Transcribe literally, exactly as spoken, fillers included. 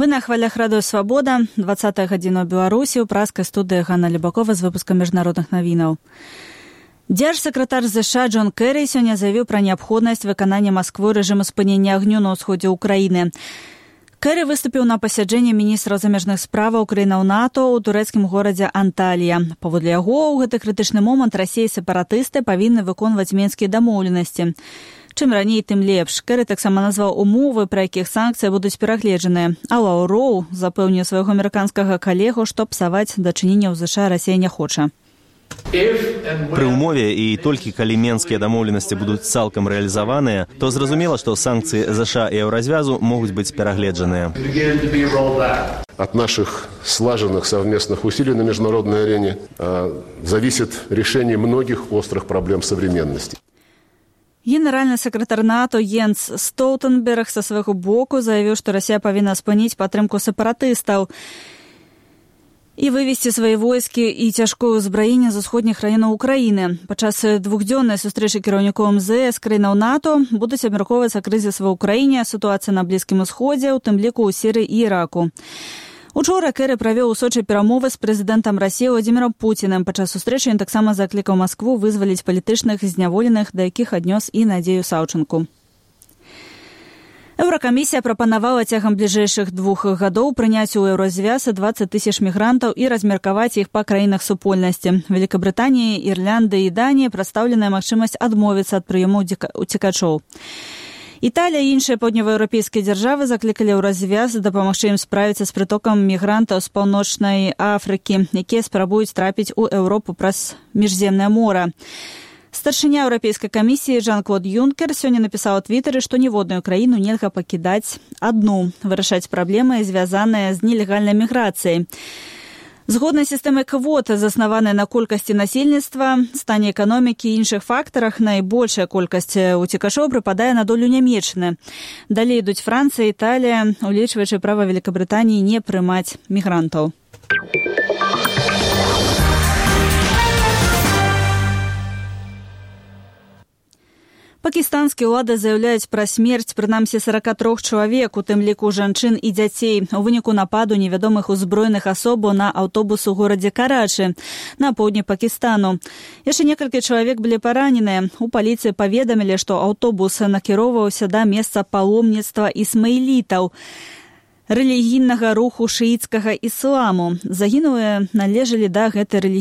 Вы на хвалях радыё «Свабода», двадцатая гадзіна ў Беларусі, у праскай студыі Ганна Любакова з выпускам міжнародных навінаў. Дзяржсакратар ЗША Джон Кэрі сёння заявіў пра неабходнасць выканання Масквой рэжыму спынення агню на ўсходзе ўкраіны. Кэрі выступіў на пасяджэнні міністраў замежных справаў краінаў НАТО ў турэцкім горадзе Анталія. Паводле яго, у гэты крытычны момант Расія і сепаратысты павінны выконваць менскія дамоўленасці. Чым раней, тым лепш. Кэрі таксама назваў умовы, пры якіх санкцыі будуць перагледжаныя. А Лаўроў запэўніў свайго амерыканскага калегу, што псаваць дачыненняў ЗША Расія не хоча. Пры ўмове і толькі калі менскія дамоўленасці будуць цалкам рэалізаваныя, то зразумела, што санкцыі ЗША і еўразвязу могуць быць перагледжаныя. От наших слаженных совместных усилий на международной арене зависит решение многих острых проблем современности. Генеральны сакратар НАТО Йенс Стоўтэнберг са свайго боку заявіў, што Расія павінна спыніць падтрымку сепаратыстаў і вывесці свае войскі і цяжкое ўзбраенне з усходніх раёнаў Украіны. Падчас двухдзённай сустрэчы кіраўнікоў МЗС краінаў НАТО будуць абмяркоўвацца крызіс ва ўкраіне, сітуацыя на Блізкім Усходзе, у тым ліку ў Сірыі і Іраку. Учора Кэрі правёў у Сочы перамовы з прэзідэнтам Расіі Владзімірам Пуцінам. Падчас сустрэчы ён таксама заклікаў Маскву вызваліць палітычных зняволеных, да якіх аднёс і Надзею Саўчанку. Еўракамісія прапанавала цягам бліжэйшых двух гадоў прыняць у еўразвяз дваццаць тысяч мігрантаў і размеркаваць іх па краінах супольнасці. Великабрытаніі, Ірлянды і Даніі прадстаўленая магчымасць адмовіцца ад прыёму уцекачоў. Італія і іншыя паўднёваеўрапейскія дзяржавы заклікалі ў развяз дапамагчы ім справіцца з прытокам мігрантаў з паўночнай Афрыкі, якія спрабуюць трапіць у Еўропу праз міжземнае мора. Старшыня Еўрапейскай камісіі Жан-Клод Юнкер сёння напісаў у твітары, што ніводную краіну нельга пакідаць адну, вырашаць праблемы, звязаныя з нелегальнай міграцыяй. Згодна сістэмай квот, заснаваная на колькасці насельніцтва, стане эканомікі і іншых фактарах, найбольшая колькасць уцекачоў прыпадае на долю Нямецчыны. Далей ідуць Францыя, Італія, улічваючы права Великабрытаніі не прымаць мігрантаў. Пакістанскія ўлады заяўляюць пра смерць прынамсі сорок три чалавек, у тым ліку жанчын і дзяцей, у выніку нападу невядомых узброеных асобаў на аўтобус у горадзе Карачы, на поўдні Пакістану. Яшчэ некалькі чалавек былі параненыя. У паліцыі паведамілі, што аўтобус накіроўваўся да месца паломніцтва ісмаілітаў, рэлігійнага руху шыіцкага ісламу. Загінулыя належалі да гэтай рэлігійнай